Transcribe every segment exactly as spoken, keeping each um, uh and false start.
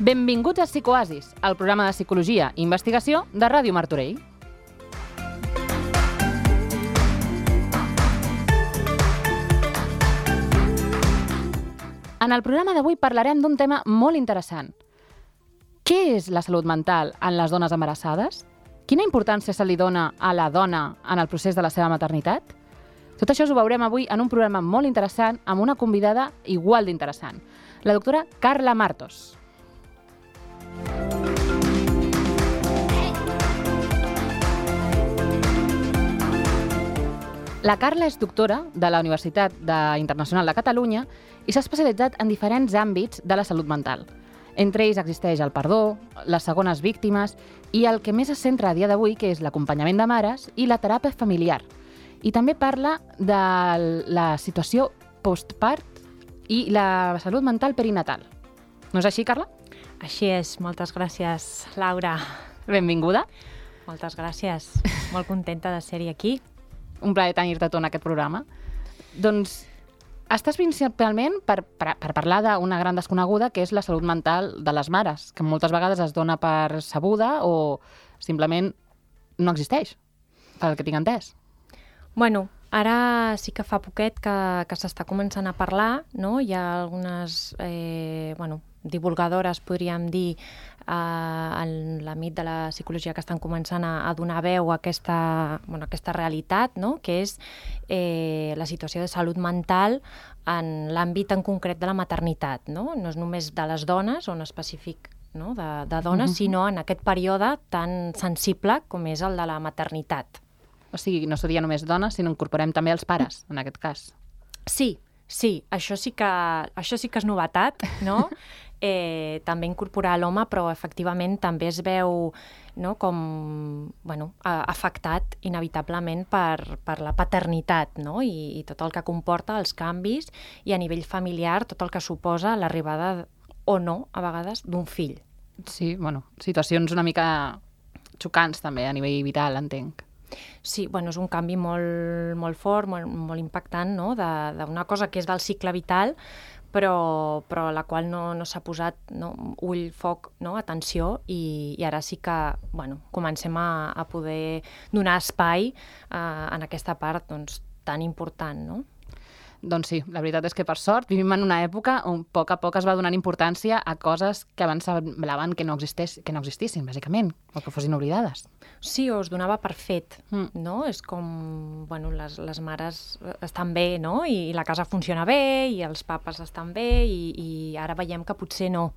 Benvinguts a Psicoasis, el programa de psicologia i investigació de Ràdio Martorell. En el programa d'avui parlarem d'un tema molt interessant. Què és la salut mental en les dones embarassades? Quina importància se li dona a la dona en el procés de la seva maternitat? Tot això ho veurem avui en un programa molt interessant amb una convidada igual d'interessant, la doctora Carla Martos. La Carla és doctora de la Universitat Internacional de Catalunya i s'ha especialitzat en diferents àmbits de la salut mental. Entre ells existeix el perdó, les segones víctimes i el que més es centra a dia d'avui, que és l'acompanyament de mares i la teràpia familiar. I també parla de la situació postpart i la salut mental perinatal. No és així, Carla? Així és. Moltes gràcies, Laura. Benvinguda. Moltes gràcies. Molt contenta de ser-hi aquí. Un plaer tenir-te tu en aquest programa. Doncs estàs principalment per, per, per parlar d'una gran desconeguda, que és la salut mental de les mares, que moltes vegades es dona per sabuda o simplement no existeix, pel que tinc entès. Bueno, ara sí que fa poquet que, que s'està començant a parlar, no? Hi ha algunes eh, bueno, divulgadores, podríem dir, eh, en l'àmbit de la psicologia que estan començant a, a donar veu a aquesta, bueno, a aquesta realitat, no? Que és eh, la situació de salut mental en l'àmbit en concret de la maternitat. No, no és només de les dones, o en específic, no? de, de dones, uh-huh. sinó en aquest període tan sensible com és el de la maternitat. O sigui, no seria només dones, sinó incorporem també els pares, en aquest cas. Sí, sí, això sí que, això sí que és novetat, no? Eh, també incorporar l'home, però efectivament també es veu, no, com bueno, afectat inevitablement per, per la paternitat, no? I, i tot el que comporta els canvis i a nivell familiar tot el que suposa l'arribada o no, a vegades, d'un fill. Sí, bueno, situacions una mica xocants també a nivell vital, entenc. Sí, bueno, és un canvi molt, molt fort, molt, molt impactant, no? D'una cosa que és del cicle vital, però, però a la qual no, no s'ha posat, no? ull, foc, no? atenció, i, i ara sí que bueno, comencem a, a poder donar espai eh, en aquesta part doncs, tan important, no? Doncs sí, la veritat és que per sort vivim en una època on a poc a poc es va donant importància a coses que abans semblaven que no, existés, que no existissin, bàsicament, o que fossin oblidades. Sí, o es donava per fet, mm. no? És com, bueno, les, les mares estan bé, no? I, i la casa funciona bé, i els papes estan bé, i, i ara veiem que potser no.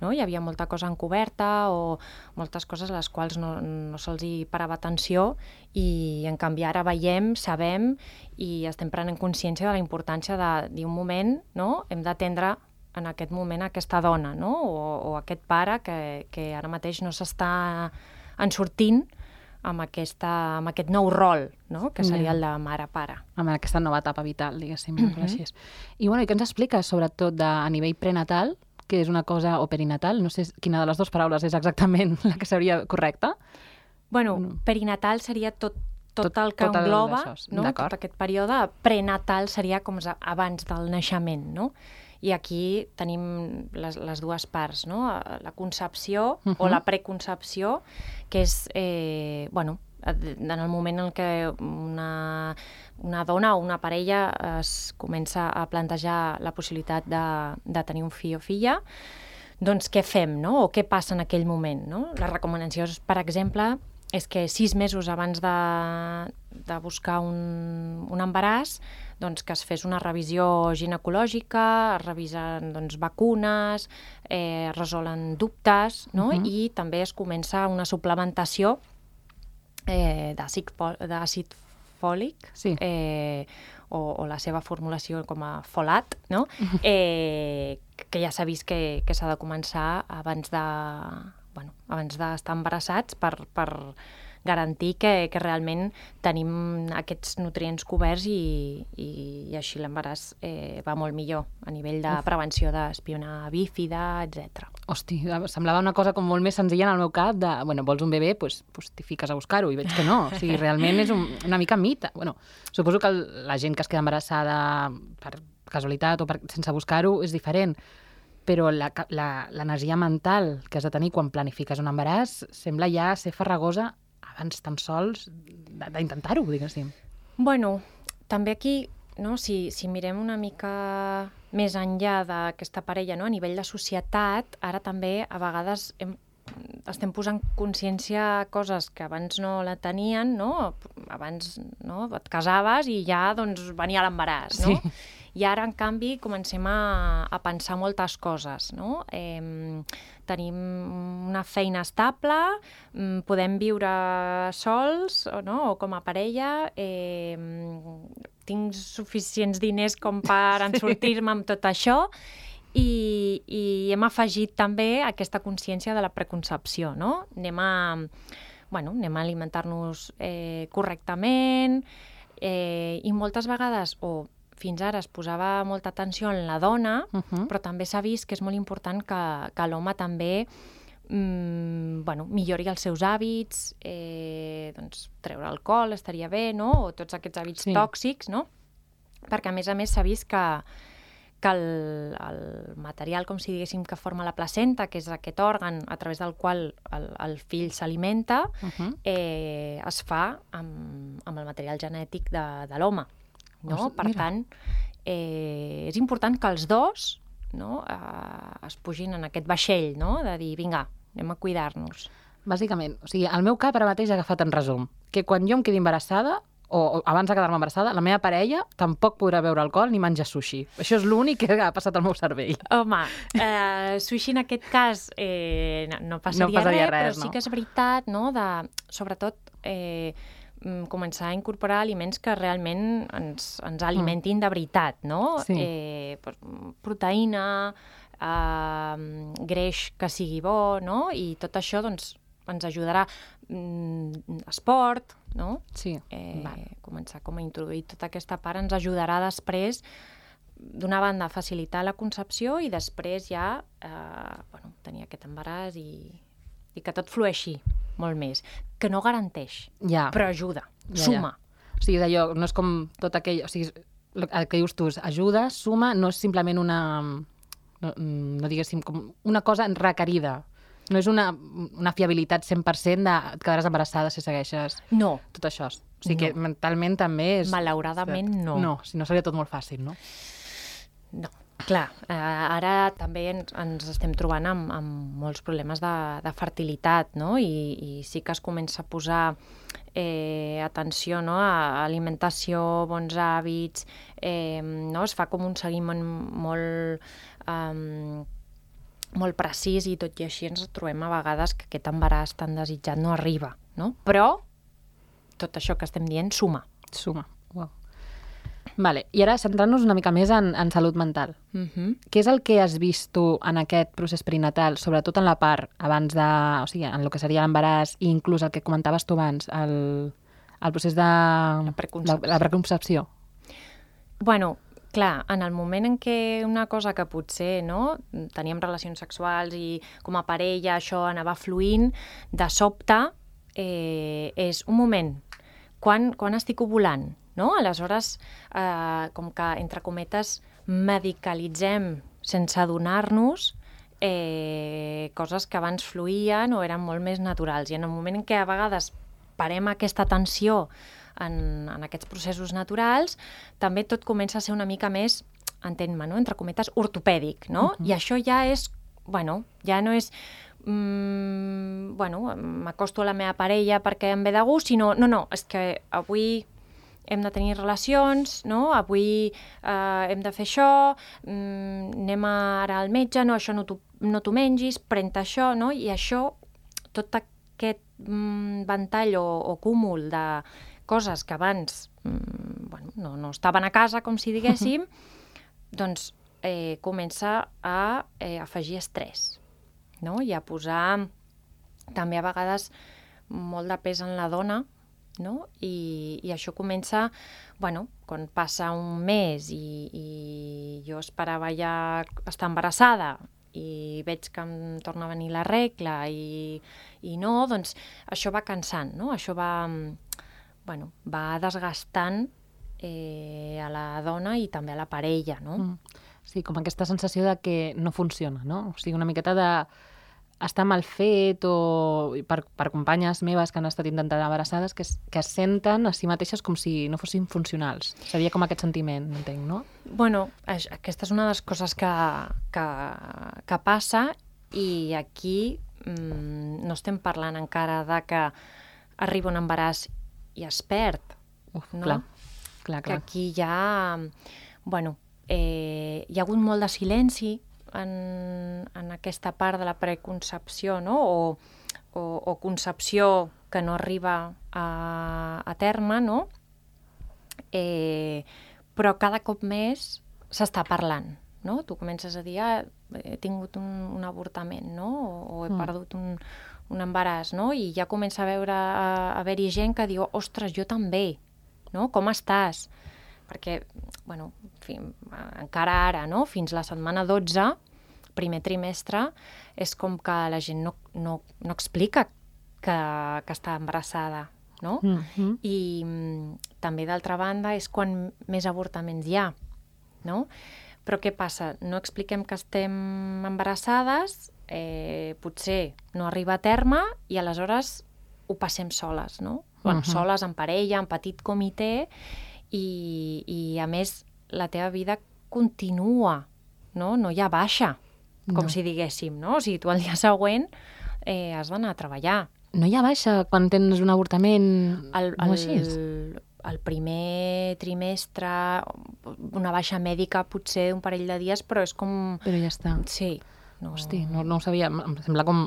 No? Hi havia molta cosa encoberta o moltes coses a les quals no, no se'ls hi parava atenció i en canvi ara veiem, sabem i estem prenent consciència de la importància de dir un moment, no? Hem d'atendre en aquest moment aquesta dona, no? o, o aquest pare que, que ara mateix no s'està ensortint amb, aquesta, amb aquest nou rol, no? Que seria el de mare-pare. Amb aquesta nova etapa vital, diguéssim. Mm-hmm. Així és. I, bueno, i què ens expliques, sobretot de, a nivell prenatal, que és una cosa, o perinatal, no sé quina de les dues paraules és exactament la que seria correcta? Bueno, no. Perinatal seria tot, tot, tot el que tot engloba, el no? tot aquest període. Prenatal seria com abans del naixement, no? I aquí tenim les, les dues parts, no? La concepció uh-huh. o la preconcepció, que és, eh, bueno, en el moment en què una, una dona o una parella es comença a plantejar la possibilitat de, de tenir un fill o filla, doncs què fem, no? O què passa en aquell moment, no? Les recomanacions, per exemple, és que sis mesos abans de, de buscar un, un embaràs, doncs que es fes una revisió ginecològica, es revisen doncs, vacunes, eh, es resolen dubtes, no? Uh-huh. I també es comença una suplementació eh, d'àcid fòlic, sí. eh, o, o la seva formulació com a folat, no? eh, que ja s'ha vist que, que s'ha de començar abans de, bueno, abans d'estar embarassats per, per garantir que, que realment tenim aquests nutrients coberts i, i, i així l'embaràs eh, va molt millor a nivell de Uf. prevenció d'espionar bífida, etcètera. Hosti, semblava una cosa com molt més senzilla en el meu cap de, bueno, vols un bebè, doncs pues, pues t'hi fiques a buscar-ho, i veig que no. O sigui, realment és un, una mica mite. Bueno, suposo que el, la gent que es queda embarassada per casualitat o per, sense buscar-ho és diferent, però l'energia mental que has de tenir quan planifiques un embaràs sembla ja ser farragosa abans tan sols d'intentar-ho, diguéssim. Bueno, també aquí, no, si, si mirem una mica més enllà d'aquesta parella, no, a nivell de societat, ara també a vegades hem, estem posant consciència a coses que abans no la tenien, no? Abans no, et casaves i ja doncs, venia l'embaràs, no? Sí. I ara, en canvi, comencem a, a pensar moltes coses, no? Eh, tenim una feina estable, podem viure sols, no? O com a parella, eh, tinc suficients diners com per en sortir-me amb tot això, i, i hem afegit també aquesta consciència de la preconcepció, no? Anem a, bueno, anem a alimentar-nos eh, correctament, eh, i moltes vegades, o fins ara es posava molta atenció en la dona, uh-huh. però també s'ha vist que és molt important que, que l'home també mm, bueno, millori els seus hàbits, eh, doncs, treure alcohol estaria bé, no? O tots aquests hàbits sí. tòxics, no? Perquè a més a més s'ha vist que, que el, el material, com si diguéssim, que forma la placenta, que és aquest òrgan a través del qual el, el fill s'alimenta, uh-huh. eh, es fa amb, amb el material genètic de, de l'home. No? Per Mira. tant, eh, és important que els dos, no, eh, es pugin en aquest vaixell, no? De dir, vinga, anem a cuidar-nos. Bàsicament, o sigui, el meu cap ara mateix ha agafat en resum que quan jo em quedi embarassada, o, o abans de quedar-me embarassada, la meva parella tampoc podrà beure alcohol ni menjar sushi. Això és l'únic que ha passat al meu cervell. Home, eh, sushi en aquest cas eh, no, no passaria, no passaria res, res, però no. Sí que és veritat, no? De, sobretot, eh, començar a incorporar aliments que realment ens, ens alimentin mm. de veritat, no? Sí. Eh, proteïna, eh, greix que sigui bo, no? I tot això doncs, ens ajudarà. Mm, esport, no? Sí. Eh, començar com a introduir tota aquesta part ens ajudarà després, d'una banda, a facilitar la concepció i després ja eh, bueno, tenir aquest embaràs i, i que tot flueixi molt més, que no garanteix, ja. però ajuda, ja, suma. Ja. O sigui, és allò, no és com tot aquell... O sigui, el que dius tu, ajuda, suma, no és simplement una... No, no diguéssim, com una cosa requerida. No és una, una fiabilitat cent per cent de et quedaràs embarassada si segueixes no. tot això. O sigui no. que mentalment també és... Malauradament no. No, si no seria tot molt fàcil, no? No. Clar, eh, ara també ens, ens estem trobant amb, amb molts problemes de, de fertilitat, no? I, i sí que es comença a posar eh, atenció, no? A alimentació, bons hàbits, eh, no? Es fa com un seguiment molt, eh, molt precís i tot i així ens trobem a vegades que aquest embaràs tan desitjat no arriba, no? Però tot això que estem dient suma. Suma, wow. Vale. I ara centrant-nos una mica més en, en salut mental. Uh-huh. Què és el que has vist tu en aquest procés perinatal, sobretot en la part abans de... O sigui, en el que seria l'embaràs i inclús el que comentaves tu abans, el, el procés de... La preconcepció. La, la preconcepció. Bueno, clar, en el moment en què una cosa que potser no, teníem relacions sexuals i com a parella això anava fluint, de sobte eh, és un moment, quan, quan estic ovulant, no? Aleshores, eh, com que, entre cometes, medicalitzem sense adonar-nos eh, coses que abans fluïen o eren molt més naturals. I en el moment en què a vegades parem aquesta atenció en, en aquests processos naturals, també tot comença a ser una mica més, entén-me, no? Entre cometes, ortopèdic, no? Uh-huh. I això ja és, bueno, ja no és... Mm, bueno, m'acosto a la meva parella perquè em ve de gust, sinó, no, no, és que avui hem de tenir relacions, no? Avui eh, hem de fer això, mm, anem ara al metge, no, això no t'ho no t'ho mengis, pren-te això, no? I això, tot aquest mm, ventall o, o cúmul de coses que abans mm, bueno, no, no estaven a casa, com si diguéssim, doncs eh, comença a eh, afegir estrès, no? I a posar també a vegades molt de pes en la dona, no? I, i això comença, bueno, quan passa un mes i, i jo esperava ja estar embarassada i veig que em torna a venir la regla i, i no, doncs això va cansant, no? Això va, bueno, va desgastant eh, a la dona i també a la parella, no? Mm. Sí, com aquesta sensació de que no funciona, no? O sigui, una miqueta de està mal fet o per, per companyes meves que han estat intentant embarassades que, que es senten a si mateixes com si no fossin funcionals. Seria com aquest sentiment, entenc, no? Bueno, aquesta és una de les coses que, que, que passa i aquí mmm, no estem parlant encara de que arriba un embaràs i es perd, Uf, no? Clar, clar, clar. Que aquí hi ha, bueno, eh, hi ha hagut molt de silenci En, en aquesta part de la preconcepció, no? o, o, o concepció que no arriba a, a terme, no? Eh, però cada cop més s'està parlant, no? Tu comences a dir, ah, he tingut un, un avortament, no? o, o he mm. perdut un, un embaràs, no? I ja comença a veure a, a haver-hi gent que diu, ostres, jo també, no? Com estàs? Perquè, bueno, fi, encara ara, no? Fins la setmana dotze, primer trimestre, és com que la gent no, no, no explica que, que està embarassada, no? Mm-hmm. I mm, també, d'altra banda, és quan més avortaments hi ha, no? Però què passa? No expliquem que estem embarassades, eh, potser no arriba a terme i aleshores ho passem soles, no? Bueno, uh-huh. soles, en parella, en petit comitè, i, i a més la teva vida continua, no? No hi ha baixa, com no. si diguéssim, no? O sigui, tu el dia següent eh, has d'anar a treballar. No hi ha baixa quan tens un avortament el, o així? El, el primer trimestre, una baixa mèdica potser un parell de dies, però és com... Però ja està. Sí. No... Hosti, no, no ho sabia. Em sembla com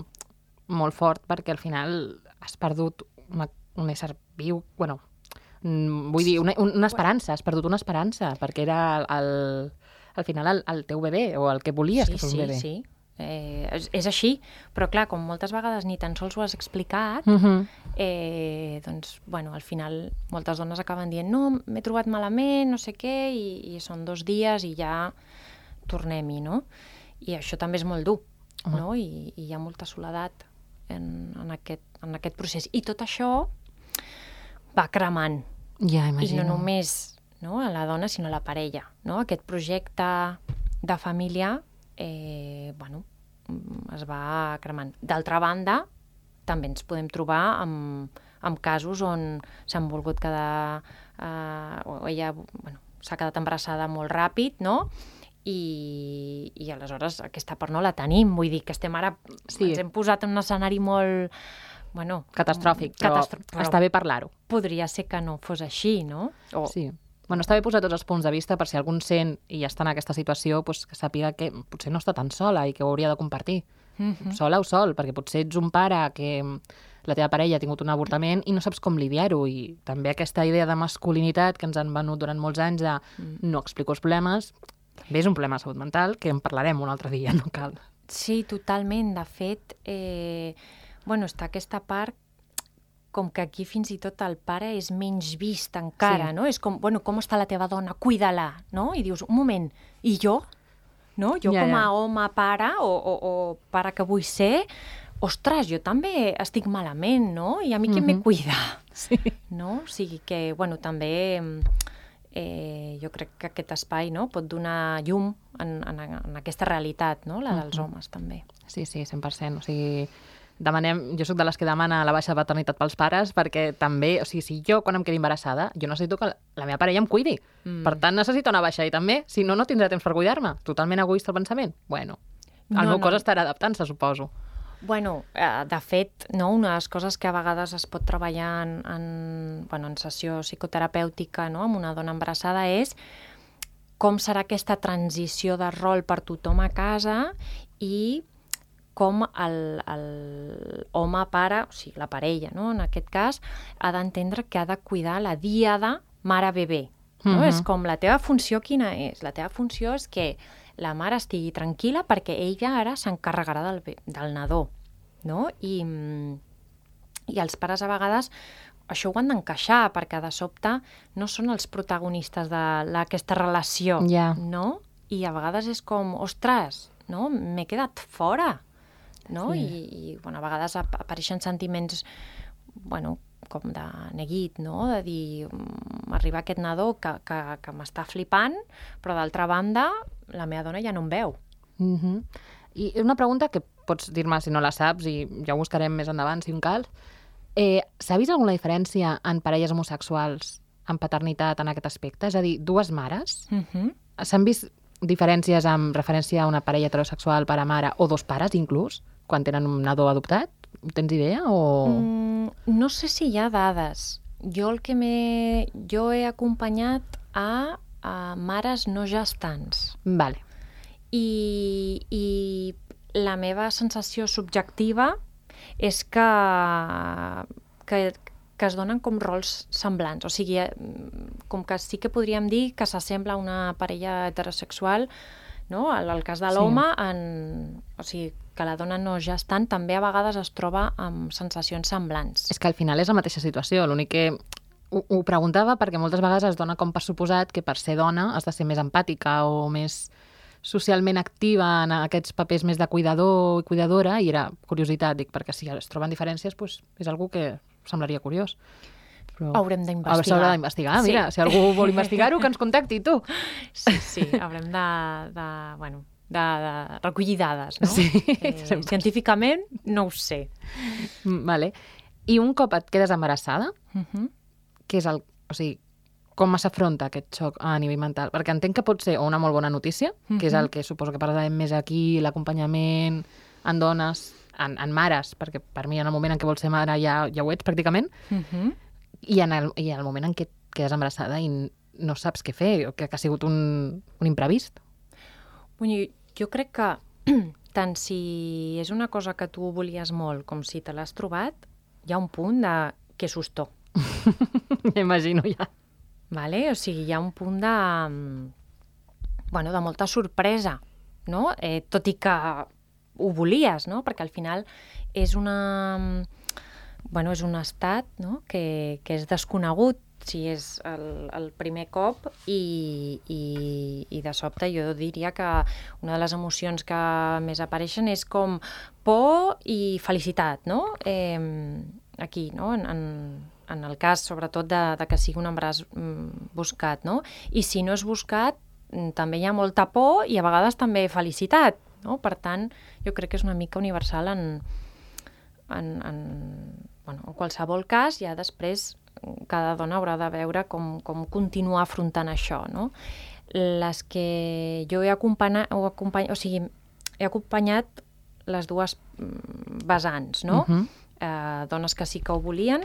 molt fort perquè al final has perdut una, un ésser viu, bueno, vull dir, una, una esperança, has perdut una esperança, perquè era el, el, al final el, el teu bebè, o el que volies sí, que fos sí, un bebè. Sí, sí. Eh, és, és així, però clar, com moltes vegades ni tan sols ho has explicat, uh-huh. eh, doncs, bueno, al final moltes dones acaben dient no, m'he trobat malament, no sé què, i, i són dos dies i ja tornem-hi, no? I això també és molt dur, uh-huh. no? I, i hi ha molta soledat en, en, aquest, en aquest procés. I tot això va cremant. Ja, imagino. I no només no, a la dona, sinó a la parella, no? Aquest projecte de família Eh, bueno, es va cremant. D'altra banda, també ens podem trobar amb, amb casos on s'han volgut quedar, eh, o ella bueno, s'ha quedat embarassada molt ràpid, no? I, i aleshores aquesta part no la tenim, vull dir que estem ara, sí. ens hem posat en un escenari molt... Bueno, catastròfic, però, catastròfic, però està bé parlar-ho. Podria ser que no fos així, no? O... Sí. Bueno, està bé posar tots els punts de vista per si algun sent i ja està en aquesta situació, doncs que sàpiga que potser no està tan sola i que ho hauria de compartir. Mm-hmm. Sola o sol, perquè potser ets un pare que la teva parella ha tingut un avortament i no saps com lidiar-ho. I també aquesta idea de masculinitat que ens han venut durant molts anys de mm. no explico els problemes, també és un problema de salut mental que en parlarem un altre dia, no cal. Sí, totalment. De fet, eh, bueno, està aquesta part com que aquí fins i tot el pare és menys vist encara, sí. no? És com, bueno, com està la teva dona? Cuida-la, no? I dius, un moment, i jo? No? Jo ja, com a ja. home, pare, o, o, o pare que vull ser, ostres, jo també estic malament, no? I a mi qui mm-hmm. me cuida? Sí. No? O sigui que, bueno, també eh, jo crec que aquest espai no, pot donar llum en, en, en aquesta realitat, no? La dels mm-hmm. homes, també. Sí, sí, cent per cent. O sigui... Demanem, jo sóc de les que demana la baixa de paternitat pels pares perquè també, o sigui, si jo quan em quedi embarassada, jo necessito que la meva parella em cuidi. Mm. Per tant, necessito una baixa i també, si no, no tindré temps per cuidar-me. Totalment egoista el pensament. Bueno, el no, meu no. cos estarà adaptant-se, suposo. Bueno, eh, de fet, no, una de les coses que a vegades es pot treballar en, en, bueno, en sessió psicoterapèutica no, amb una dona embarassada és com serà aquesta transició de rol per tothom a casa i com el, el home pare, o sigui, la parella, no? En aquest cas, ha d'entendre que ha de cuidar la díada mare-bebè. No? Uh-huh. És com la teva funció quina és? La teva funció és que la mare estigui tranquil·la perquè ella ara s'encarregarà del, del nadó. No? I, I els pares a vegades això ho han d'encaixar, perquè de sobte no són els protagonistes d'aquesta relació, yeah. no? I a vegades és com, ostres, no? M'he quedat fora, no? Sí. I, i bueno, a vegades apareixen sentiments, bueno, com de neguit, no? De dir, m'arriba aquest nadó que, que, que m'està flipant, però d'altra banda, la meva dona ja no em veu. Mm-hmm. I una pregunta que pots dir-me si no la saps i ja ho buscarem més endavant, si un cal. Eh, S'ha vist alguna diferència en parelles homosexuals en paternitat en aquest aspecte? És a dir, dues mares? Mm-hmm. S'han vist diferències amb referència a una parella heterosexual pare-mare o dos pares, inclús, quan tenen un nadó adoptat? Tens idea? O... Mm, no sé si hi ha dades. Jo el que m'he... Jo he acompanyat a, a mares no gestants. Vale. I, i la meva sensació subjectiva és que, que, que es donen com rols semblants. O sigui, com que sí que podríem dir que s'assembla a una parella heterosexual, no? En el cas de l'home, sí. en... o sigui, que la dona no gestant també a vegades es troba amb sensacions semblants. És que al final és la mateixa situació, l'únic que ho, ho preguntava perquè moltes vegades es dona com per suposat que per ser dona has de ser més empàtica o més socialment activa en aquests papers més de cuidador i cuidadora, i era curiositat, dic, perquè si es troben diferències, doncs és algú que semblaria curiós. Però... Haurem d'investigar. S'haurà d'investigar, sí. Mira, si algú vol investigar-ho, que ens contacti, tu. Sí, sí, haurem de, de, bueno, de, de recollir dades, no? Sí, eh, científicament no ho sé. Vale. I un cop et quedes embarassada, uh-huh. què és el... O sigui, com s'afronta aquest xoc a nivell mental? Perquè entenc que pot ser una molt bona notícia, uh-huh. que és el que suposo que parlarem més aquí, l'acompanyament en dones, en, en mares, perquè per mi en el moment en què vols ser mare ja, ja ho ets pràcticament, uh-huh. i, en el, i en el moment en què et quedes embarassada i no saps què fer, que, que ha sigut un, un imprevist. Bueno, jo crec que tant si és una cosa que tu volies molt com si te l'has trobat, hi ha un punt de que sustó. Imagino ja. Vale? O sigui, hi ha un punt de, bueno, de molta sorpresa, no? Eh, tot i que ho volies, no? Perquè al final és una... Bueno, és un estat, no? que, que és desconegut si és el, el primer cop i, i, i de sobte jo diria que una de les emocions que més apareixen és com por i felicitat, no? Eh, aquí, no? En, en, en el cas, sobretot, de, de que sigui un embaràs mm, buscat, no? I si no és buscat, també hi ha molta por i a vegades també felicitat, no? Per tant, jo crec que és una mica universal en, en, en, bueno, en qualsevol cas. Ja després cada dona haurà de veure com, com continuar afrontant això, no? Les que jo he acompanyat, o, acompany, o sigui, he acompanyat les dues vessants, no? Uh-huh. eh, dones que sí que ho volien,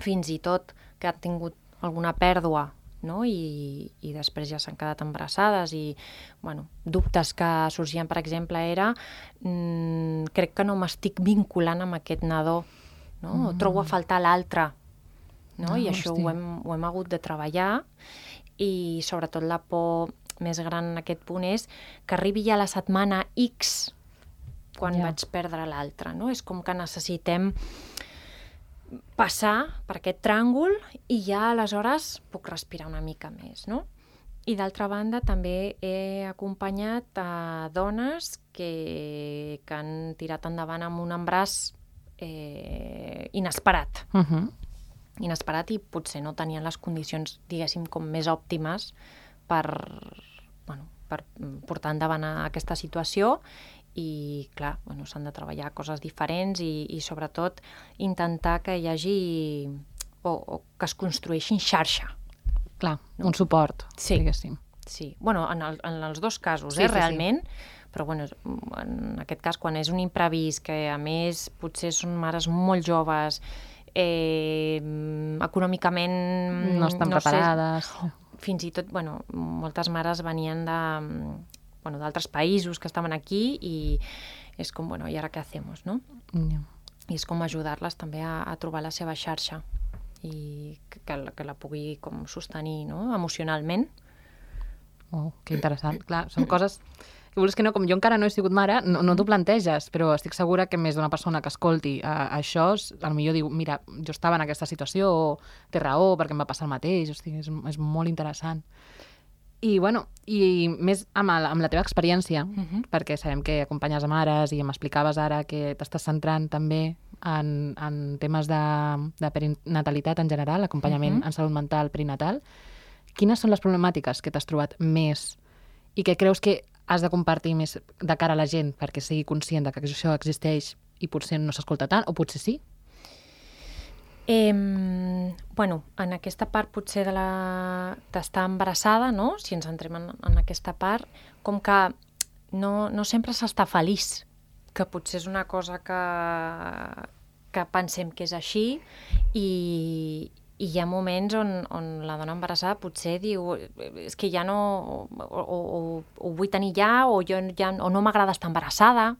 fins i tot que han tingut alguna pèrdua, no? I, i després ja s'han quedat embarassades i, bueno, dubtes que sorgien, per exemple, era mmm, crec que no m'estic vinculant amb aquest nadó, no? Mm. O trobo a faltar l'altre, no? No, I això hosti. ho hem, ho hem hagut de treballar i sobretot la por més gran en aquest punt és que arribi ja la setmana X quan Ja. vaig perdre l'altre, no? És com que necessitem passar per aquest tràngol i ja aleshores puc respirar una mica més, no? I d'altra banda també he acompanyat a dones que, que han tirat endavant amb un embaràs eh, inesperat. Uh-huh. Inesperat i potser no tenien les condicions, diguéssim, com més òptimes per, bueno, per portar endavant a aquesta situació. I, clar, bueno, s'han de treballar coses diferents i, i sobretot, intentar que hi hagi o, o que es construeixin xarxa. Clar, No? un suport, Sí. diguéssim. Sí, bueno, en, el, en els dos casos, Sí, eh, sí, realment, però bueno, en aquest cas, quan és un imprevist, que a més potser són mares molt joves, eh, econòmicament... No estan no sé, preparades. fins i tot, bueno, moltes mares venien de, bueno, d'altres països que estaven aquí i és com, bueno, ¿y ahora qué hacemos, no? Ja. I és com ajudar-les també a, a trobar la seva xarxa i que, que, la, que la pugui com sostenir, no? Emocionalment. Oh, que interessant. Clar, són coses que vols que no, com jo encara no he sigut mare, no, no t'ho planteges, però estic segura que més d'una persona que escolti uh, això, potser diu, mira, jo estava en aquesta situació, o té raó, perquè em va passar el mateix, hosti, és, és molt interessant. I, bueno, i més amb, el, amb la teva experiència, uh-huh. perquè sabem que acompanyes a mares i m'explicaves ara que t'estàs centrant també en, en temes de, de perinatalitat en general, acompanyament uh-huh. en salut mental perinatal. Quines són les problemàtiques que t'has trobat més i que creus que has de compartir més de cara a la gent perquè sigui conscient de que això existeix i potser no s'escolta tant, o potser sí? Eh, bueno, en aquesta part potser de la d'estar embarassada, no? Si ens entrem en, en aquesta part, com que no, no sempre s'està feliç, que potser és una cosa que, que pensem que és així, i, i hi ha moments on, on la dona embarassada potser diu és que ja no, o, o, o, o vull tenir ja, o, jo ja, o no m'agrada estar embarassada,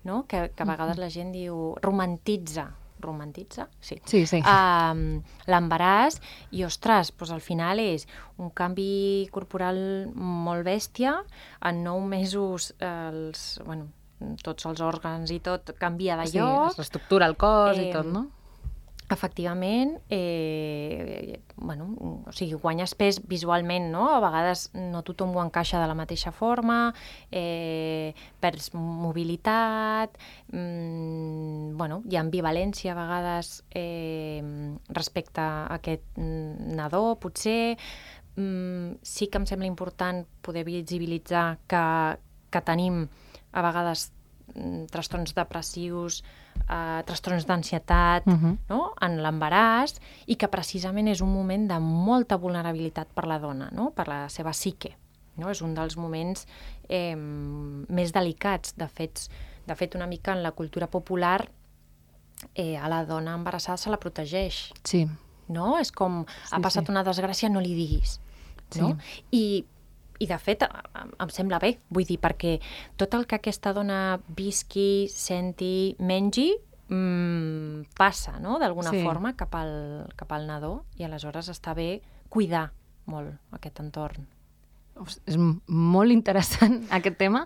no? Que, que a vegades la gent diu, romantitza, romantitza? Sí. Sí, sí. Um, l'embaràs, i, ostres, doncs al final és un canvi corporal molt bèstia, en nou mesos els, bueno, tots els òrgans i tot canvia de sí, lloc. Sí, l'estructura, el cos eh, i tot, no? Efectivament, eh, bueno, o sigui, guanyes pes visualment, no? A vegades no tothom ho encaixa de la mateixa forma, eh, perds mobilitat, mm, bueno, hi ha ambivalència a vegades eh, respecte a aquest nadó, potser. Mm, sí que em sembla important poder visibilitzar que, que tenim a vegades trastorns depressius, eh, trastorns d'ansietat, uh-huh. no? en l'embaràs, i que precisament és un moment de molta vulnerabilitat per la dona, no? Per la seva psique. No? És un dels moments eh, més delicats. De fet, de fet, una mica en la cultura popular eh, a la dona embarassada se la protegeix. Sí. No? És com, sí, ha passat sí. una desgràcia, no li diguis. No? Sí. I I, de fet, em sembla bé, vull dir, perquè tot el que aquesta dona visqui, senti, mengi, mmm, passa, no?, d'alguna sí. forma cap al, cap al nadó, i aleshores està bé cuidar molt aquest entorn. És molt interessant aquest tema,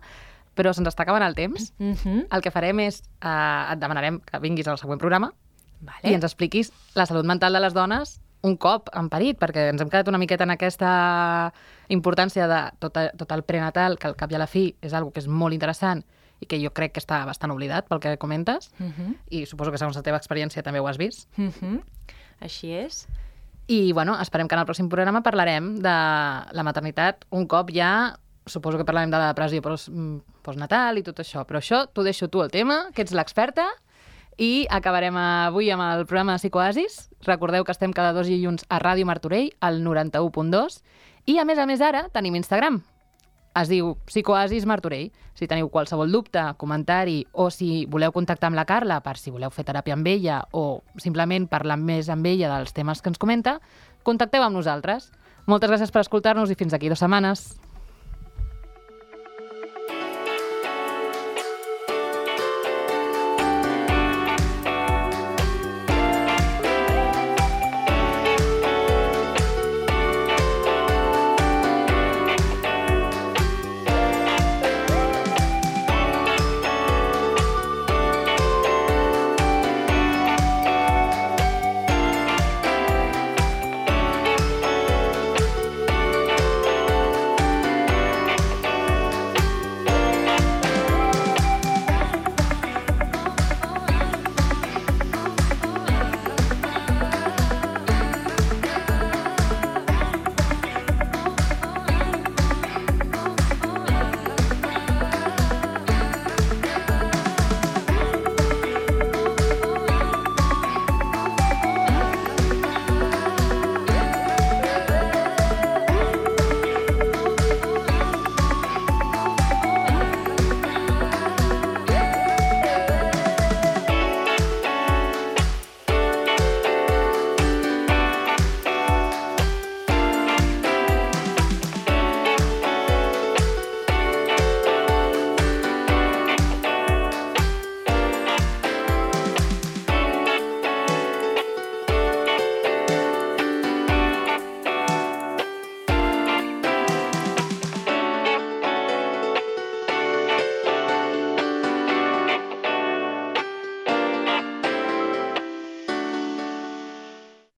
però se'ns està acabant el temps. Mm-hmm. El que farem és, eh, et demanarem que vinguis al següent programa vale. I ens expliquis la salut mental de les dones un cop en parit, perquè ens hem quedat una miqueta en aquesta importància de tot, tot el prenatal, que al cap i a la fi és una cosa que és molt interessant i que jo crec que està bastant oblidat pel que comentes, uh-huh. i suposo que segons la teva experiència també ho has vist. Uh-huh. Així és. I, bueno, esperem que en el pròxim programa parlarem de la maternitat un cop ja, suposo que parlarem de la depressió post, postnatal i tot això, però això t'ho deixo tu el tema, que ets l'experta. I acabarem avui amb el programa de Psicoasis. Recordeu que estem cada dos dilluns a Ràdio Martorell, al noranta-u punt dos. I, a més a més, ara tenim Instagram. Es diu Psicoasis Martorell. Si teniu qualsevol dubte, comentari, o si voleu contactar amb la Carla per si voleu fer teràpia amb ella o simplement parlar més amb ella dels temes que ens comenta, contacteu amb nosaltres. Moltes gràcies per escoltar-nos i fins aquí dues setmanes.